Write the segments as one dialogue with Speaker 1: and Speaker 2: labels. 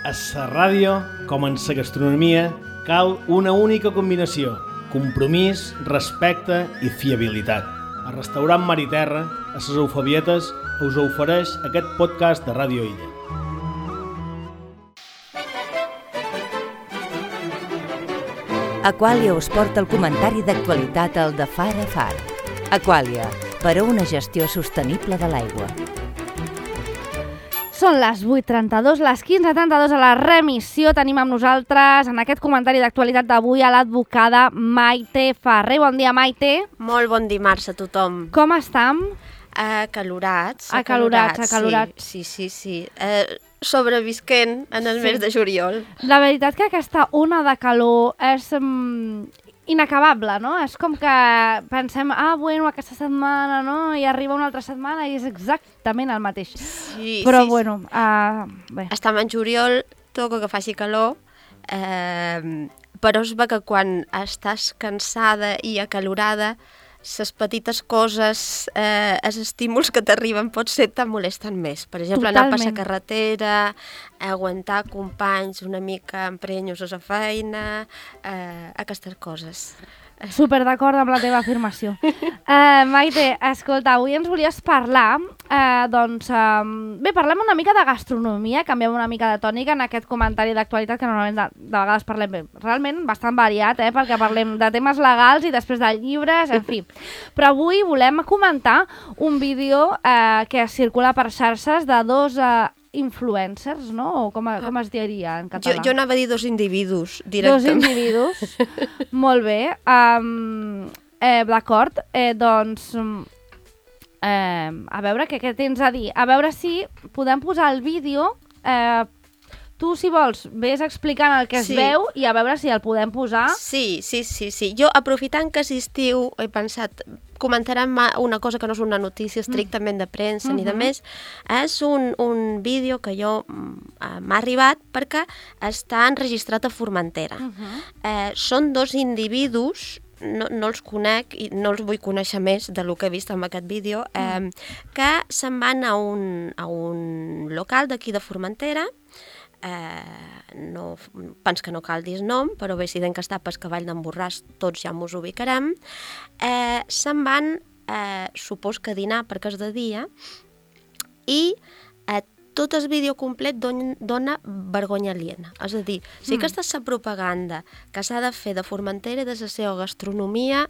Speaker 1: A la ràdio, com en la gastronomia, cal una única combinació: compromís, respecte i fiabilitat. El restaurant Mar i Terra, a les Eufabietes, us ofereix aquest podcast de Ràdio Illa.
Speaker 2: Aquàlia us porta el comentari d'actualitat al de Far a Far. Aquàlia, per a una gestió sostenible de l'aigua.
Speaker 3: Són les 8:32, les 15:32 a la remissió. Tenim amb nosaltres en aquest comentari d'actualitat d'avui a l'advocada Maite Ferrer. Bon dia, Maite.
Speaker 4: Molt bon dimarts a tothom.
Speaker 3: Com estem?
Speaker 4: Acalorats. Sí. Sobrevisquent en el mes de juliol.
Speaker 3: La veritat que aquesta ona de calor és inacabable, no? És com que pensem, bueno, aquesta setmana, no? I arriba una altra setmana i és exactament el mateix.
Speaker 4: Sí,
Speaker 3: però,
Speaker 4: sí,
Speaker 3: bueno, bé.
Speaker 4: Estem en juliol, toca que faci calor, però és bé que quan estàs cansada i acalorada, les petites coses, els estímuls que t'arriben potser te molesten més. Per exemple, anar per la carretera, aguantar companys una mica emprenyos a la feina, aquestes coses.
Speaker 3: Super d'acord amb la teva afirmació. Maite, escolta, avui ens volies parlar, bé, parlem una mica de gastronomia, canviem una mica de tònica en aquest comentari d'actualitat, que normalment de vegades parlem realment bastant variat, perquè parlem de temes legals i després de llibres, en fi. Però avui volem comentar un vídeo que circula per xarxes de dos influencers, no? O com es diria en català?
Speaker 4: Jo anava a dir dos individus, directament.
Speaker 3: Dos individus, molt bé. D'acord, doncs, a veure què tens a dir. A veure si podem posar el vídeo. Tu, si vols, vés explicant el que es veu i a veure si el podem posar.
Speaker 4: Sí. Jo, aprofitant que és estiu, he pensat, comentarem una cosa que no és una notícia estrictament de premsa ni de més. És un vídeo que m'ha arribat perquè està enregistrat a Formentera. Són dos individus, no els conec i no els vull conèixer més del que he vist en aquest vídeo, que se'n van a un local d'aquí de Formentera. No, pens que no cal dir el nom, però bé, si d'en que està per Cavall d'en Borràs tots ja mos ubicarem. Se'n van, supos que a dinar perquè és de dia, i tot el vídeo complet dona vergonya aliena. És a dir, si aquesta és la propaganda que s'ha de fer de Formentera i de la seva gastronomia,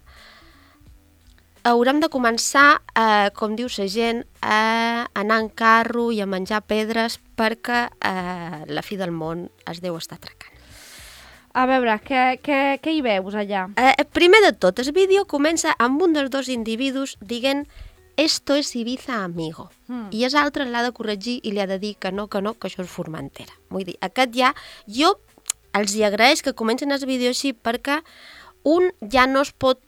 Speaker 4: haurem de començar, com diu la gent, a anar en carro i a menjar pedres perquè la fi del món es deu estar atracant.
Speaker 3: A veure, què hi veus allà?
Speaker 4: Primer de tot, el vídeo comença amb un dels dos individus dient «Esto es Ibiza, amigo». I és altre l'ha de corregir i li ha de dir que no, que això és Formentera. Vull dir, aquest ja... Jo els hi agraeix que comencin el vídeo així perquè un ja no es pot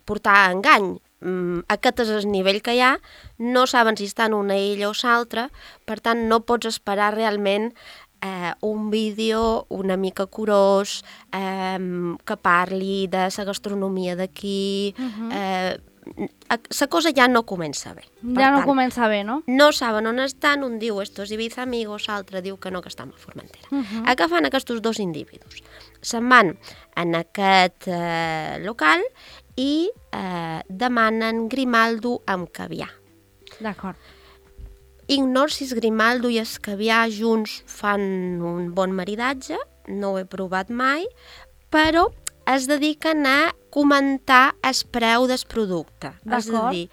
Speaker 4: portar a engany. Aquest és el nivell que hi ha, no saben si està en una illa o l'altra, per tant no pots esperar realment un vídeo una mica curós, que parli de la gastronomia d'aquí. La cosa ja no comença bé.
Speaker 3: No comença bé, no?
Speaker 4: No saben on estan, un diu «Esto es Ibiza, amigos», l'altre diu que no, que estan a Formentera. Què fan aquests dos individus? Se'n van en aquest local i demanen grimaldo amb caviar.
Speaker 3: D'acord.
Speaker 4: Ignoro si el grimaldo i el caviar junts fan un bon maridatge, no ho he provat mai, però es dediquen a comentar el preu del producte. És a dir,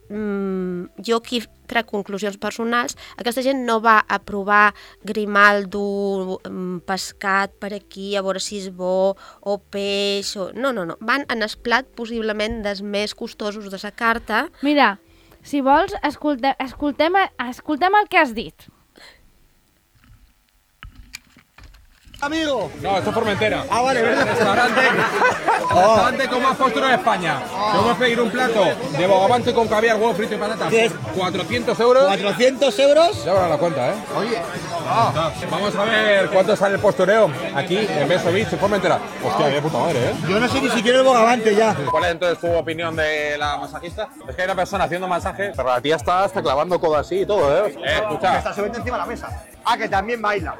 Speaker 4: jo aquí trec conclusions personals. Aquesta gent no va a provar grimaldo pescat per aquí, a veure si és bo, o peix, no. Van en el plat possiblement dels més costosos de la carta.
Speaker 3: Mira, si vols, escoltem el que has dit.
Speaker 5: Amigo.
Speaker 6: No, esto es Formentera.
Speaker 5: Ah, vale, ¿verdad?
Speaker 6: Restaurante con más postura de España. Te voy a pedir un plato de bogavante con caviar, huevo frito y patatas.
Speaker 5: ¿Qué es?
Speaker 6: 400 euros.
Speaker 5: 400 euros.
Speaker 6: Ya van a la cuenta, ¿eh?
Speaker 5: Oye.
Speaker 6: Vamos a ver cuánto sale el postureo aquí en Beso Beach, en Formentera. Hostia, de puta madre, ¿eh?
Speaker 5: Yo no sé ni siquiera el bogavante ya.
Speaker 6: ¿Cuál es entonces tu opinión de la masajista? Es que hay una persona haciendo masaje, pero la tía está hasta clavando codo así y todo, ¿eh? Escucha.
Speaker 5: Está subiendo encima de la mesa. Ah, que también baila.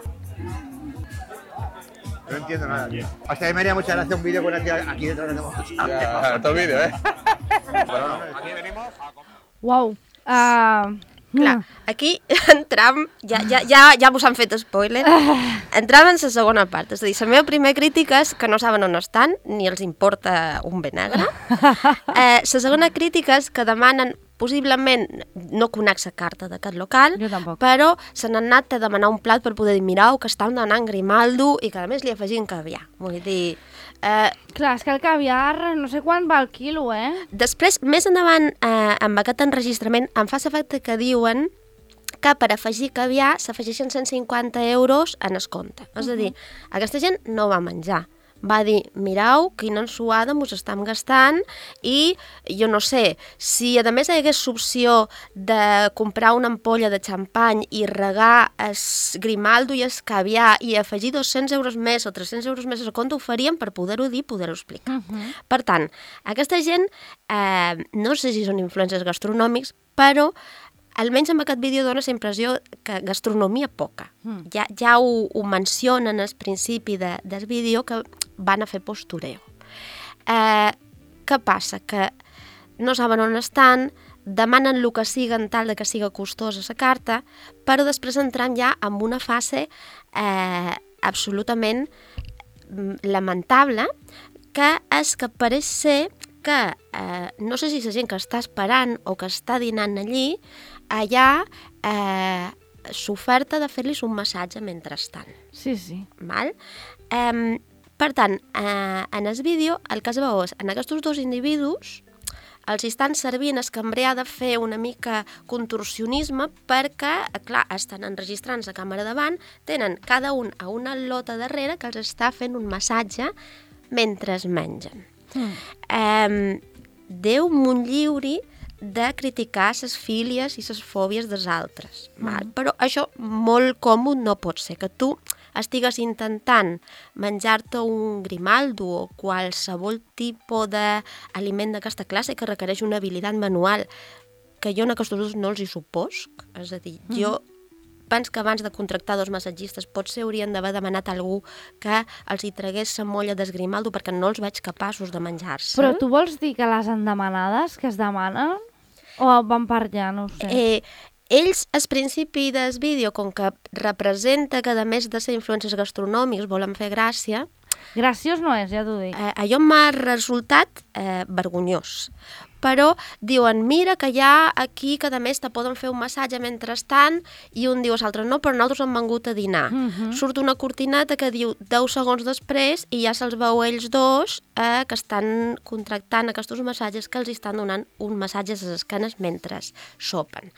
Speaker 5: No entiendo nada, tío. Hasta que me haría mucha gracia un vídeo con una tía aquí detrás de nosotros.
Speaker 6: Ya, todo el vídeo, ¿eh? Bueno, aquí venimos a comer.
Speaker 3: Uau.
Speaker 4: Clar, aquí entram, ja vos han fet spoiler, entram en la segona part, és a dir, la meva primera crítica és que no saben on estan, ni els importa un bé negre. La segona crítica és que demanen, possiblement, no conec la carta d'aquest local, però se n'han anat a demanar un plat per poder dir, mireu, que estan demanant Grimaldo i que a més li afegim caviar. Vull dir...
Speaker 3: Clar, és que el caviar no sé quan va el quilo, eh?
Speaker 4: Després, més endavant, amb aquest enregistrament, em fa l'efecte que diuen que per afegir caviar s'afegeixen 150 euros en el compte. És a dir, aquesta gent no va menjar. Va dir, mireu, quina ensuada mos estem gastant i, jo no sé, si a més hi hagués l'opció de comprar una ampolla de xampany i regar el Grimaldo i el caviar i afegir 200 euros més o 300 euros més al compte, ho faríem per poder-ho dir, poder-ho explicar. Per tant, aquesta gent, no sé si són influencers gastronòmics, però almenys amb aquest vídeo dona la impressió que gastronomia poca. Ja ho mencionen al principi del vídeo que van a fer postureo. Què passa? Que no saben on estan, demanen el que sigui en tal que sigui costosa la carta, però després entrem ja en una fase absolutament lamentable, que és que pareix ser que no sé si la gent que està esperant o que està dinant allí, allà s'oferta de fer-los un massatge mentrestant.
Speaker 3: Sí, sí.
Speaker 4: Val? Per tant, en el vídeo el que es veu és, en aquests dos individus els estan servint el cambrer ha de fer una mica contorsionisme perquè, clar, estan enregistrant la càmera davant, tenen cada un a una lota darrere que els està fent un massatge mentre es mengen. Déu m'ho lliuri de criticar les fílies i les fòbies dels altres. Però això molt còmode no pot ser, que tu estigues intentant menjar-te un Grimaldo o qualsevol tipus d'aliment d'aquesta classe que requereix una habilitat manual, que jo en aquests dos no els hi suposc. És a dir, jo penso que abans de contractar dos massatgistes potser haurien d'haver demanat a algú que els hi tragués la molla del Grimaldo perquè no els veig capaços de menjar-se.
Speaker 3: Però tu vols dir que les endemanades que es demanen o van per allà, no ho sé.
Speaker 4: Ells, al principi del vídeo, com que representa que a més de ser influencers gastronòmics volen fer gràcia...
Speaker 3: Graciós no és, ja t'ho dic.
Speaker 4: Allò m'ha resultat vergonyós. Però diuen, mira que hi ha aquí que a més te poden fer un massatge mentrestant, i un diu a l'altre, no, però nosaltres hem vengut a dinar. Surt una cortineta que diu 10 segons després i ja se'ls veu ells dos que estan contractant aquests massatges que els estan donant un massatge a les esquenes mentre sopen.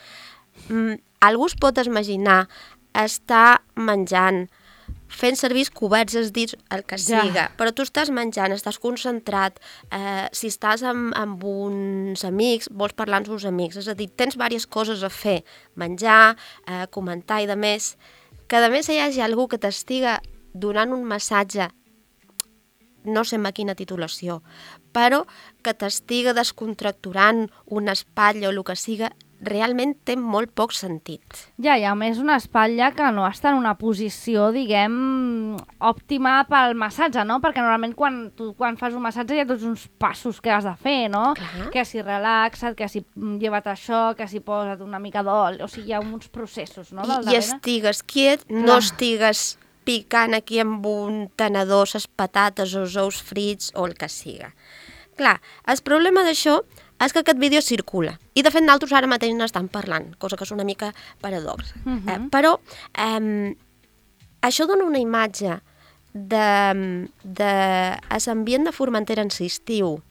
Speaker 4: Algú es pot imaginar estar menjant, fent servir coberts, els dits, el que siga, però tu estàs menjant, estàs concentrat, si estàs amb uns amics, vols parlar amb uns amics, és a dir, tens diverses coses a fer, menjar, comentar i de més, que a més hi hagi algú que t'estiga donant un massatge, no sé amb quina titulació, però que t'estiga descontracturant una espatlla o el que siga, realment té molt poc sentit.
Speaker 3: Ja, i a més una espatlla que no està en una posició, diguem, òptima pel massatge, no? Perquè normalment quan fas un massatge hi ha tots uns passos que has de fer, no?
Speaker 4: Clar.
Speaker 3: Que si relaxa't, que si lleva't això, que si posa't una mica d'oli, o sigui, hi ha uns processos, no?
Speaker 4: I estigues quiet, no estigues picant aquí amb un tenedor les patates o els ous frits o el que siga. Clar, el problema d'això és que aquest vídeo circula. I, de fet, nosaltres ara mateix n'estan parlant, cosa que és una mica paradoxa. Però això dona una imatge d'ambient de Formentera en l'estiu.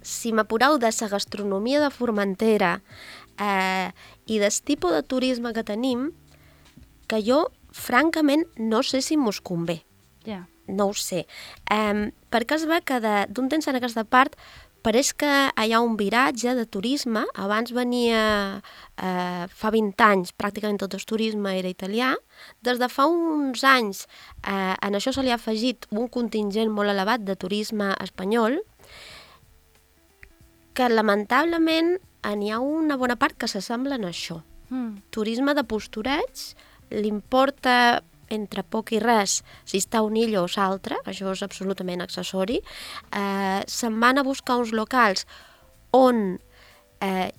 Speaker 4: Si m'apureu de la gastronomia de Formentera i del tipus de turisme que tenim, que jo francament, no sé si mos convé.
Speaker 3: Ja.
Speaker 4: No ho sé. Perquè es ve que d'un temps en aquesta part pareix que hi ha un viratge de turisme. Abans venia, fa 20 anys, pràcticament tot el turisme era italià. Des de fa uns anys en això se li ha afegit un contingent molt elevat de turisme espanyol, que lamentablement n'hi ha una bona part que s'assemblen a això. Turisme de postureig, li importa entre poc i res si està un illo o l'altre, això és absolutament accessori. Se'n van a buscar uns locals on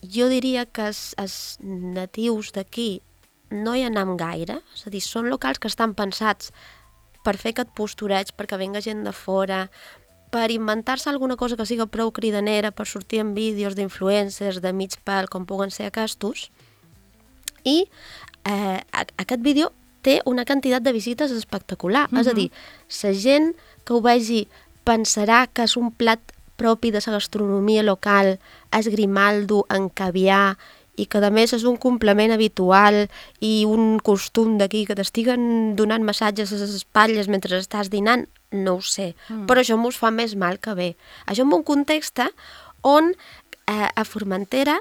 Speaker 4: jo diria que els natius d'aquí no hi anem gaire, és a dir, són locals que estan pensats per fer aquest postureig, perquè venga gent de fora, per inventar-se alguna cosa que siga prou cridanera, per sortir en vídeos d'influencers de mig pèl, com puguen ser aquests. I aquest vídeo té una quantitat de visites espectacular. És a dir, la gent que ho vegi pensarà que és un plat propi de la gastronomia local, és grimaldo en caviar, i que a més és un complement habitual i un costum d'aquí, que t'estiguen donant massatges a les espatlles mentre estàs dinant, no ho sé. Però això mos fa més mal que bé. Això en un context on a Formentera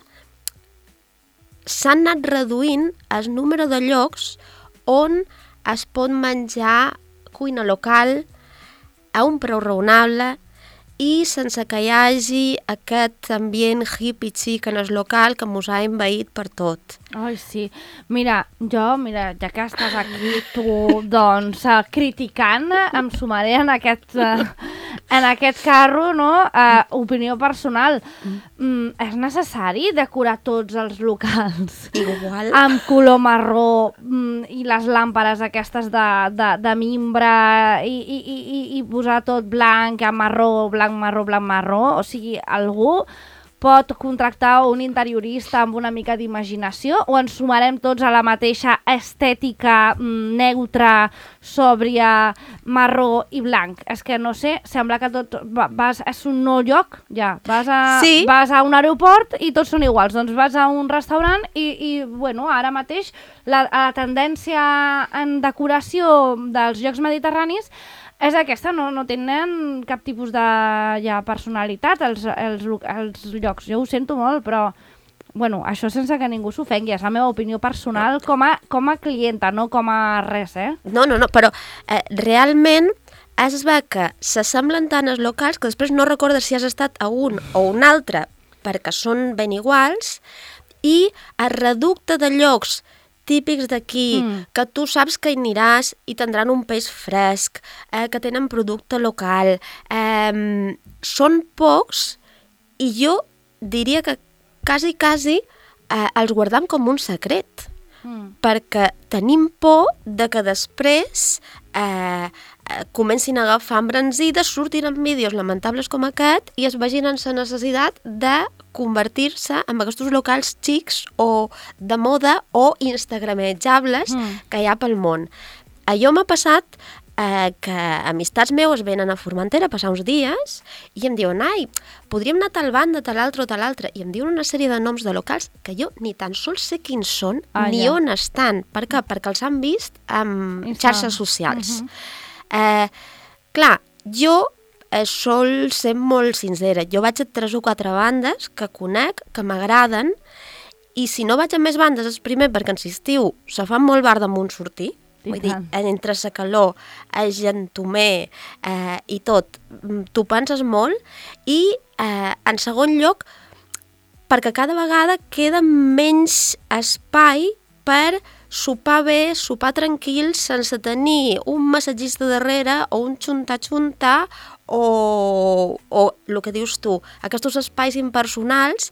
Speaker 4: s'han anat reduint el número de llocs on es pot menjar cuina local a un preu raonable i sense que hi hagi aquest ambient hippie xic en el local que mos ha envaït per tot.
Speaker 3: Ai, sí. Mira, ja que estàs aquí tu, doncs, criticant, em sumaré en aquest carro, no? Opinió personal. És necessari decorar tots els locals
Speaker 4: Igual.
Speaker 3: amb color marró i les làmperes aquestes de mimbre i posar tot blanc, marró, blanc, marró, blanc, marró? O sigui, algú pot contractar un interiorista amb una mica d'imaginació o ens sumarem tots a la mateixa estètica neutra, sòbria, marró i blanc? És que no sé, sembla que tot és un nou lloc, ja. Vas a un aeroport i tots són iguals. Doncs vas a un restaurant i bueno, ara mateix la tendència en decoració dels llocs mediterranis és aquesta, no tenen cap tipus de personalitat els llocs. Jo ho sento molt, però bueno, això sense que ningú s'ofengui, és la meva opinió personal com a clienta, no com a res,
Speaker 4: No, però realment es ve que s'assemblen tant els locals que després no recordes si has estat a un o un altre perquè són ben iguals, i el reducte de llocs típics d'aquí, que tu saps que hi aniràs i tindran un peix fresc, que tenen producte local. Són pocs i jo diria que quasi els guardam com un secret, perquè tenim por de que després comencin a agafar embranzides, surtin en vídeos lamentables com aquest i es vegin en la necessitat de convertir-se en aquests locals xics o de moda o instagrametjables que hi ha pel món. Allò m'ha passat que amistats meus venen a Formentera a passar uns dies i em diuen, ai, podríem anar a tal banda, tal altre o tal altre, i em diuen una sèrie de noms de locals que jo ni tan sols sé quins són ni on estan. Per què? Perquè els han vist en xarxes socials. Clar, jo sol ser molt sincera. Jo vaig a 3 o 4 bandes que conec, que m'agraden, i si no vaig a més bandes és primer perquè en l'estiu se fa molt bar damunt sortir. Vull dir, entre la calor, el gentomer i tot, t'ho penses molt, i en segon lloc perquè cada vegada queda menys espai per sopar bé, sopar tranquil, sense tenir un massatgista darrere o un xunta-xunta o el que dius tu, aquests espais impersonals.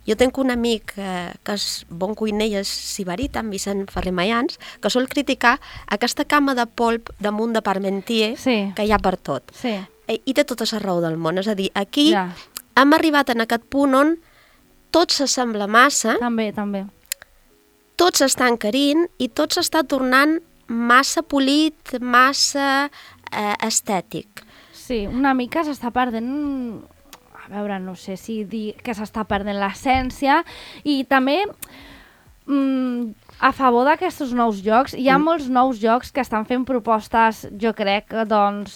Speaker 4: Jo tinc un amic que és bon cuiner i és siberit, en Vicent Ferrer Mayans, que sol criticar aquesta cama de polp damunt de Parmentier que hi ha per tot. I té tota la raó del món, és a dir, aquí hem arribat en aquest punt on tot s'assembla massa.
Speaker 3: També.
Speaker 4: Tot s'està encarint i tot s'està tornant massa polit, massa estètic.
Speaker 3: Sí, una mica s'està perdent, a veure, no sé si dir que s'està perdent l'essència, i també a favor d'aquests nous llocs. Hi ha molts nous llocs que estan fent propostes, jo crec, doncs,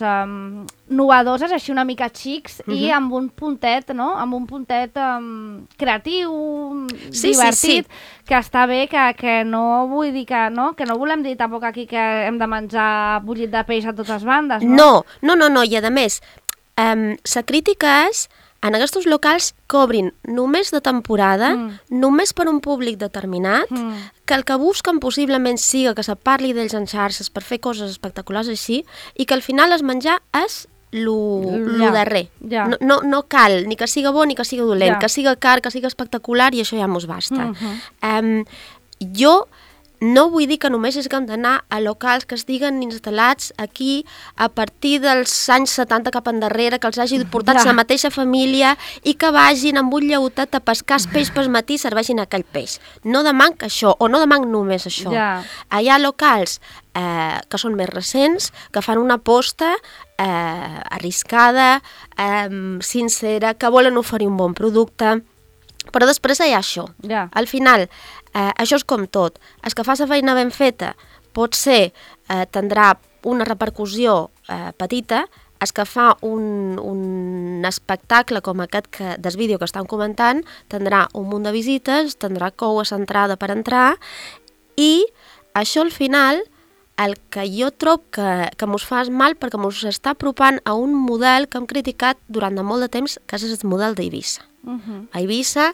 Speaker 3: novedoses, així una mica xics, i amb un puntet, no? Amb un puntet creatiu, divertit, que està bé, que no vull dir que no volem dir tampoc aquí que hem de menjar bullit de peix a totes bandes, no?
Speaker 4: No, i a més, la crítica és en aquests locals que obrin només de temporada, només per un públic determinat, que el que busquen possiblement siga que se parli d'ells en xarxes per fer coses espectaculars així, i que al final es menjar és lo darrer. No cal ni que siga bo ni que siga dolent, que siga car, que siga espectacular, i això ja mos basta. Jo no vull dir que només haguem d'anar a locals que estiguen instal·lats aquí a partir dels anys 70 cap endarrere, que els hagi portat la mateixa família i que vagin amb un lleutet a pescar peix pel matí i serveixin aquell peix. No demanc això, o no demanc només això. Hi ha locals que són més recents, que fan una aposta arriscada, sincera, que volen oferir un bon producte, però després hi ha això. Al final, això és com tot. El que fa la feina ben feta potser tindrà una repercussió petita, el que fa un espectacle com aquest del vídeo que estan comentant tindrà un munt de visites, tindrà cou a l'entrada per entrar, i això al final el que jo trobo que mos fa mal perquè mos està apropant a un model que hem criticat durant molt de temps, que és el model d'Eivissa. A Eivissa,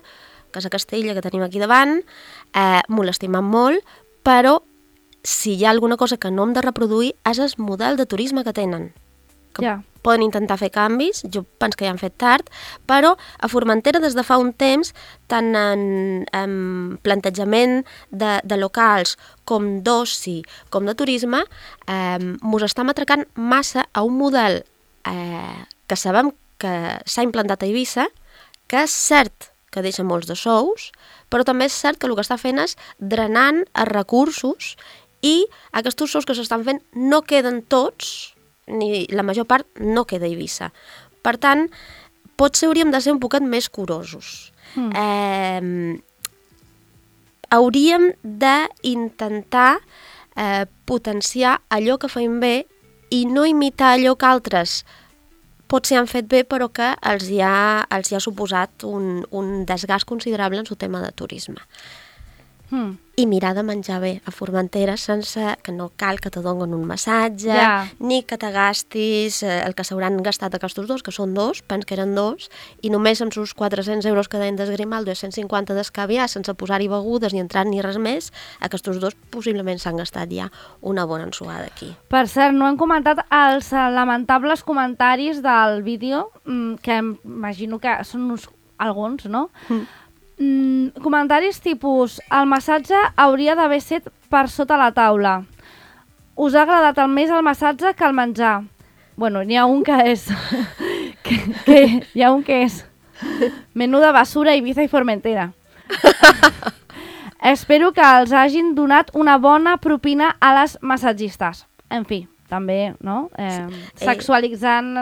Speaker 4: que és a Castella que tenim aquí davant, m'ho l'estimem molt, però si hi ha alguna cosa que no hem de reproduir és el model de turisme que tenen. Poden intentar fer canvis, jo penso que ja han fet tard, però a Formentera des de fa un temps, tant en plantejament de locals com d'oci, com de turisme, mos estem atracant massa a un model que sabem que s'ha implantat a Eivissa, que és cert que deixa molts de sous, però també és cert que el que està fent és drenant els recursos, i aquests sous que s'estan fent no queden tots, ni la major part no queda a Eivissa. Per tant, potser hauríem de ser un poquet més curosos. Hauríem d'intentar potenciar allò que feim bé i no imitar allò que altres potser han fet bé però que els hi ha suposat un desgast considerable en el tema de turisme. I mirar de menjar bé a Formentera sense que no cal que te donen un massatge, ni que te gastis el que s'hauran gastat aquests dos, que són dos, penso que eren dos, i només amb els 400 euros que deien d'esgrimal, 250 d'escaviar, sense posar-hi begudes ni entrar ni res més, aquests dos possiblement s'han gastat ja una bona ensuada aquí.
Speaker 3: Per cert, no hem comentat els lamentables comentaris del vídeo, que imagino que són alguns, no? Comentaris tipus: el massatge hauria d'haver set per sota la taula. Us ha agradat més el massatge que el menjar. Bueno, n'hi ha un que és menuda basura Ibiza i Formentera. Espero que els hagin donat una bona propina a les massatgistes. En fi, també, no? Sexualitzant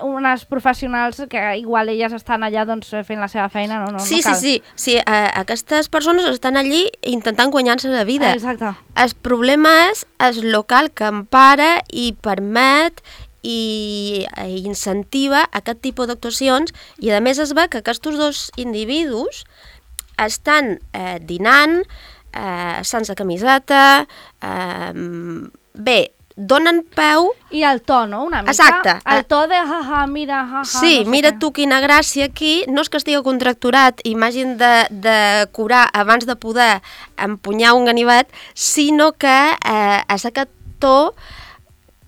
Speaker 3: unes professionals que igual elles estan allà fent la seva feina, no cal.
Speaker 4: Sí, aquestes persones estan allí intentant guanyar-se la vida.
Speaker 3: Exacte.
Speaker 4: El problema és el local que empara i permet i incentiva aquest tipus d'actuacions, i a més es ve que aquests dos individus estan dinant sense camiseta, bé, donen peu...
Speaker 3: I el to, no? Una mica.
Speaker 4: Exacte.
Speaker 3: El to de mira,
Speaker 4: sí, no mira tu quina gràcia aquí. No és que estigui contracturat i m'hagin de curar abans de poder empunyar un ganivet, sinó que és aquest to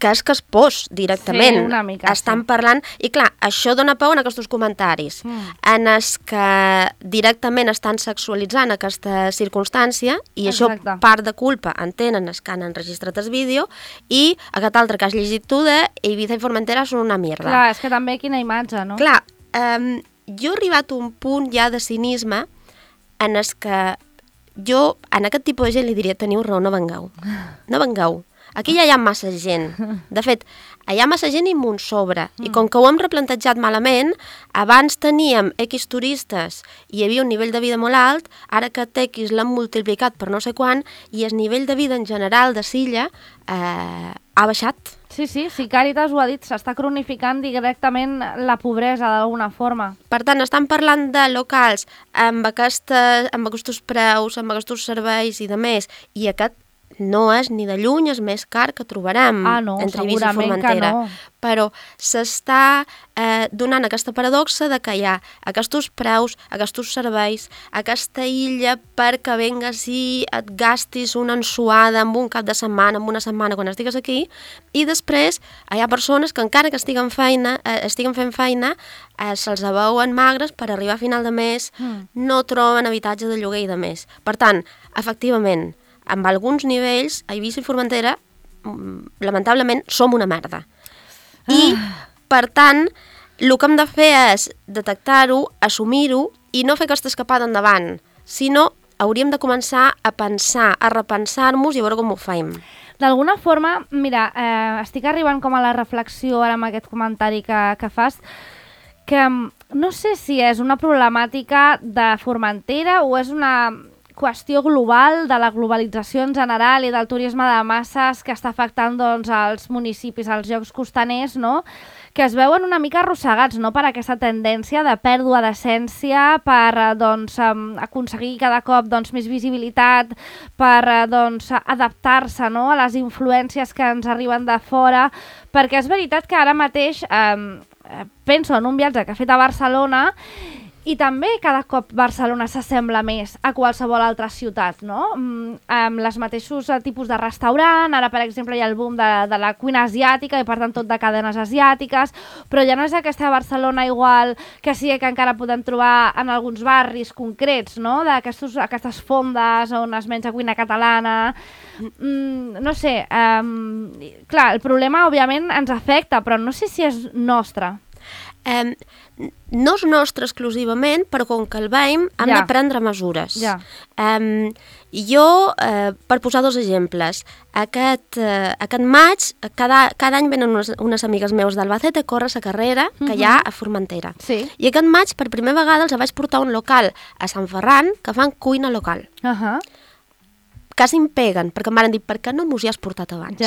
Speaker 4: que és que es pos directament.
Speaker 3: Sí, una mica.
Speaker 4: Estan parlant... I clar, això dona peu en aquests comentaris, en els que directament estan sexualitzant aquesta circumstància, i això part de culpa entenen els que han enregistrat el vídeo, i aquest altre que has llegit tu de Ibiza i Formentera són una mierda.
Speaker 3: Clar, és que també quina imatge, no?
Speaker 4: Clar, jo he arribat a un punt ja de cinisme en els que jo, en aquest tipus de gent li diria: teniu raó, no vengueu. No vengueu. Aquí ja hi ha massa gent. De fet, hi ha massa gent i un sobre. I com que ho hem replantejat malament, abans teníem X turistes i hi havia un nivell de vida molt alt, ara que X l'han multiplicat per no sé quant, i el nivell de vida en general de Silla ha baixat.
Speaker 3: Sí, Càritas ho ha dit, s'està cronificant directament la pobresa d'alguna forma.
Speaker 4: Per tant, estan parlant de locals amb aquests preus, amb aquests serveis i de més, i aquest no és ni de lluny el més car que trobarem entre Eivissa i Formentera.
Speaker 3: No.
Speaker 4: Però s'està donant aquesta paradoxa de que hi ha aquests preus, aquests serveis, aquesta illa perquè vengues i et gastis una ensuada amb un cap de setmana, amb una setmana quan estigues aquí, i després hi ha persones que encara que estiguen fent feina, se'ls veuen magres per arribar a final de mes, no troben habitatge de lloguer i de més. Per tant, efectivament, amb alguns nivells, a Eivissa i Formentera, lamentablement, som una merda. I, per tant, el que hem de fer és detectar-ho, assumir-ho i no fer aquesta escapada endavant, sinó hauríem de començar a pensar, a repensar-nos i a veure com ho fem.
Speaker 3: D'alguna forma, mira, estic arribant com a la reflexió ara amb aquest comentari que fas, que no sé si és una problemàtica de Formentera o és una qüestió global de la globalització en general i del turisme de masses que està afectant doncs, els municipis, els llocs costaners, no? Que es veuen una mica arrossegats, no? Per aquesta tendència de pèrdua d'essència, per doncs, aconseguir cada cop doncs, més visibilitat, per doncs, adaptar-se, no? A les influències que ens arriben de fora, perquè és veritat que ara mateix penso en un viatge que he fet a Barcelona i també cada cop Barcelona s'assembla més a qualsevol altra ciutat, no? Amb els mateixos tipus de restaurant, ara per exemple hi ha el boom de la cuina asiàtica i per tant tot de cadenes asiàtiques, però ja no és aquesta Barcelona igual que sí que encara podem trobar en alguns barris concrets, no? D'aquestes fondes on es menja cuina catalana. No sé, clar, el problema òbviament ens afecta, però no sé si és nostre.
Speaker 4: No és nostre exclusivament, però com que el veiem hem de prendre mesures. Jo, per posar dos exemples, aquest maig, cada any venen unes amigues meus d'Albacete a córrer la carrera que hi ha a Formentera. I aquest maig, per primera vegada, els vaig portar a un local a Sant Ferran que fan cuina local. Quasi em peguen, perquè em van dir, per què no m'ho has portat abans?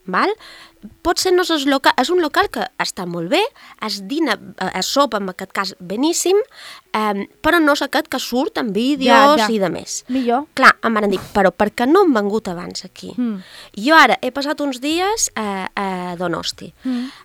Speaker 4: Val? Potser no és local, és un local que està molt bé, es dina, es sopa en aquest cas beníssim, però no és aquest que surt en vídeos i de més.
Speaker 3: Millor.
Speaker 4: Clar, em van dir, però per què no hem vengut abans aquí? Jo ara he passat uns dies a Donosti.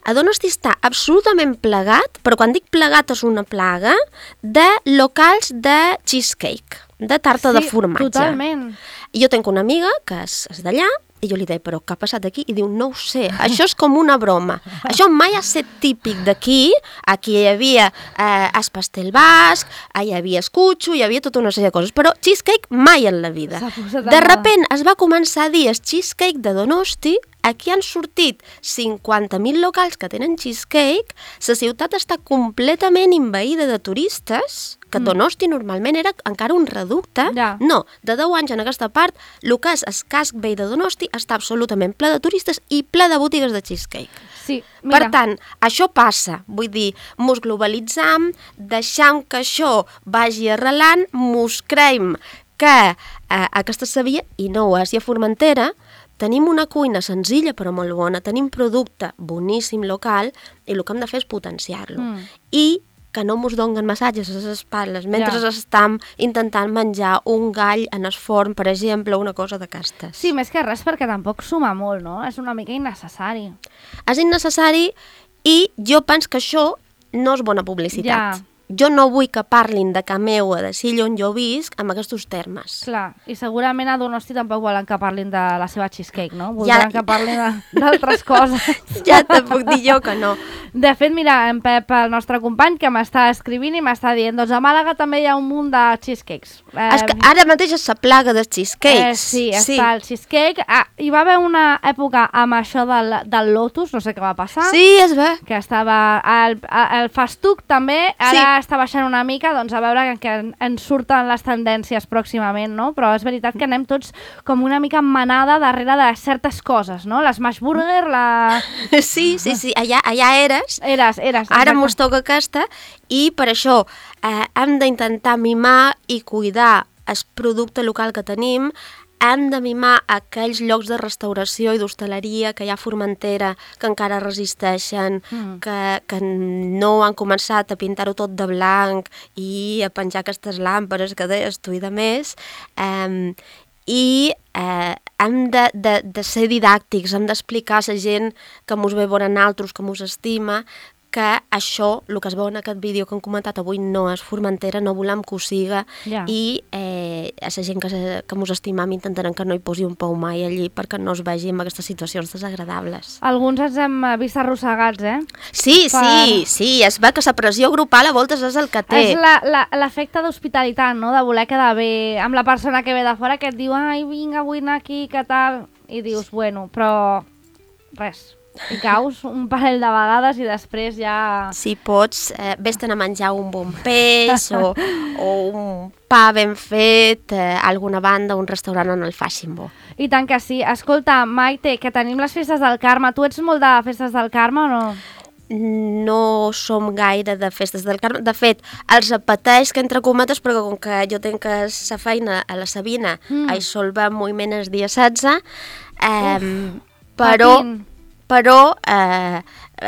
Speaker 4: A Donosti està absolutament plegat, però quan dic plegat és una plaga, de locals de cheesecake, de tarta de formatge.
Speaker 3: Totalment.
Speaker 4: I jo tinc una amiga que és d'allà, i jo li deia, però què ha passat aquí? I diu, no ho sé, això és com una broma. Això mai ha estat típic d'aquí. Aquí hi havia el pastel basc, hi havia escutxo, hi havia tota una sèrie de coses, però cheesecake mai en la vida. De repent es va començar a dir el cheesecake de Donosti. Aquí han sortit 50.000 locals que tenen cheesecake, la ciutat està completament envaïda de turistes, que Donosti normalment era encara un reducte. No, de 10 anys en aquesta part, el que és el casc vell de Donosti està absolutament ple de turistes i ple de botigues de cheesecake.
Speaker 3: Sí, mira.
Speaker 4: Per tant, això passa, vull dir, mos globalitzam, deixam que això vagi arrelant, mos creiem que aquesta sabia, i no ho és, i a Formentera, tenim una cuina senzilla però molt bona, tenim producte boníssim local i el que hem de fer és potenciar-lo. I que no mos donen massatges a les espatlles mentre estem intentant menjar un gall en el forn, per exemple, una cosa d'aquestes.
Speaker 3: Sí, més que res perquè tampoc suma molt, no? És una mica innecessari.
Speaker 4: És innecessari i jo penso que això no és bona publicitat. Jo no vull que parlin de Cameu o de Silla on jo visc amb aquests termes.
Speaker 3: Clar, i segurament a Donosti tampoc volen que parlin de la seva cheesecake, no? Voldran que parlin d'altres coses.
Speaker 4: Ja te puc dir jo que no.
Speaker 3: De fet, mira, en Pep, el nostre company, que m'està escrivint i m'està dient, doncs a Màlaga també hi ha un munt de cheesecakes.
Speaker 4: És que ara mateix és la plaga dels cheesecakes.
Speaker 3: Sí, està el cheesecake. Hi va haver una època amb això del Lotus, no sé què va passar.
Speaker 4: Sí, és bé.
Speaker 3: Que estava el festuc també, ara està baixant una mica, doncs a veure que ens surten les tendències pròximament, no? Però és veritat que anem tots com una mica manada darrere de certes coses, no? L'Smash Burger, la...
Speaker 4: Sí, allà eres.
Speaker 3: Eres.
Speaker 4: Ara mos toca aquesta i per això hem d'intentar mimar i cuidar el producte local que tenim, hem de mimar aquells llocs de restauració i d'hostaleria que hi ha a Formentera, que encara resisteixen, que no han començat a pintar-ho tot de blanc i a penjar aquestes làmperes que deies tu i de més, i hem de ser didàctics, hem d'explicar a la gent que mos ve veure naltros, que mos estima, que això, el que es veu en aquest vídeo que hem comentat avui, no és Formentera, no volem que ho siga, i a la gent que mos estimam intentarem que no hi posi un pou mai allí perquè no es vegi en aquestes situacions desagradables.
Speaker 3: Alguns ens hem vist arrossegats,
Speaker 4: Sí, es ve que la pressió grupal a voltes és el que té.
Speaker 3: És l'efecte d'hospitalitat, no?, de voler quedar bé amb la persona que ve de fora, que et diu, ai, vinga, vull anar aquí, què tal? I dius, bueno, però res. I caus un parell de vegades i després ja...
Speaker 4: Si pots, vés-te'n a menjar un bon peix o un pa ben fet, alguna banda, un restaurant on el facin bo.
Speaker 3: I tant que sí. Escolta, Maite, que tenim les festes del Carme. Tu ets molt de festes del Carme o no?
Speaker 4: No som gaire de festes del Carme. De fet, els apeteix, que entre cometes, perquè com que jo tenc la feina a la Sabina, això el vam moviment el dia 16, però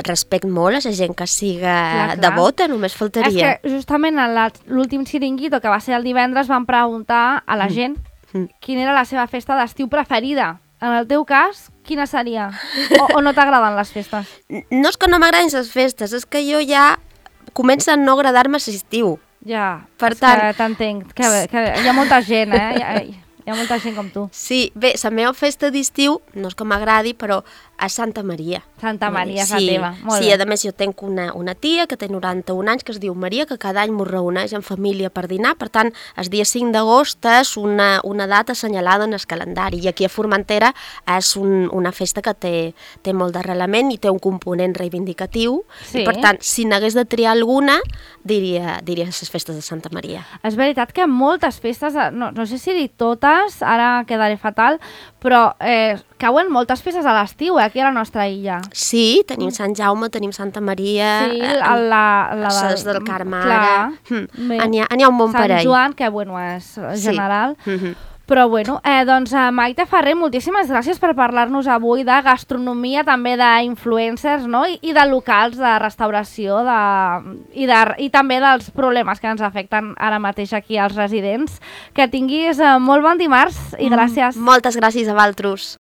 Speaker 4: respecte molt a la gent que siga devota, només faltaria.
Speaker 3: És que justament en l'últim xiringuito, que va ser el divendres, van preguntar a la gent quina era la seva festa d'estiu preferida. En el teu cas, quina seria? O no t'agraden les festes?
Speaker 4: No és que no m'agradin les festes, és que jo ja comença a no agradar-me l'estiu.
Speaker 3: Ja,
Speaker 4: per tant,
Speaker 3: que t'entenc. Que hi ha molta gent, Hi ha molta gent com tu.
Speaker 4: Sí, bé, la meva festa d'estiu, no és que m'agradi, però a Santa Maria.
Speaker 3: Santa Maria és la teva, molt bé.
Speaker 4: Sí, a més jo tenc una tia que té 91 anys, que es diu Maria, que cada any m'ho reuneix en família per dinar, per tant, el dia 5 d'agost és una data assenyalada en el calendari, i aquí a Formentera és una festa que té molt d'arrelament i té un component reivindicatiu, i per tant, si n'hagués de triar alguna, diria les festes de Santa Maria.
Speaker 3: És veritat que moltes festes, no sé si dir totes, ara quedaré fatal, però cauen moltes festes a l'estiu, aquí a la nostra illa.
Speaker 4: Sí, tenim Sant Jaume, tenim Santa Maria, les del Carme ara. N'hi ha un bon parell.
Speaker 3: Sant Joan, que bueno, és general. Però bueno, doncs Maite Ferrer, moltíssimes gràcies per parlar-nos avui de gastronomia, també d'influencers, no? I de locals, de restauració, i també dels problemes que ens afecten ara mateix aquí als residents. Que tinguis molt bon dimarts i gràcies.
Speaker 4: Moltes gràcies a vosaltres.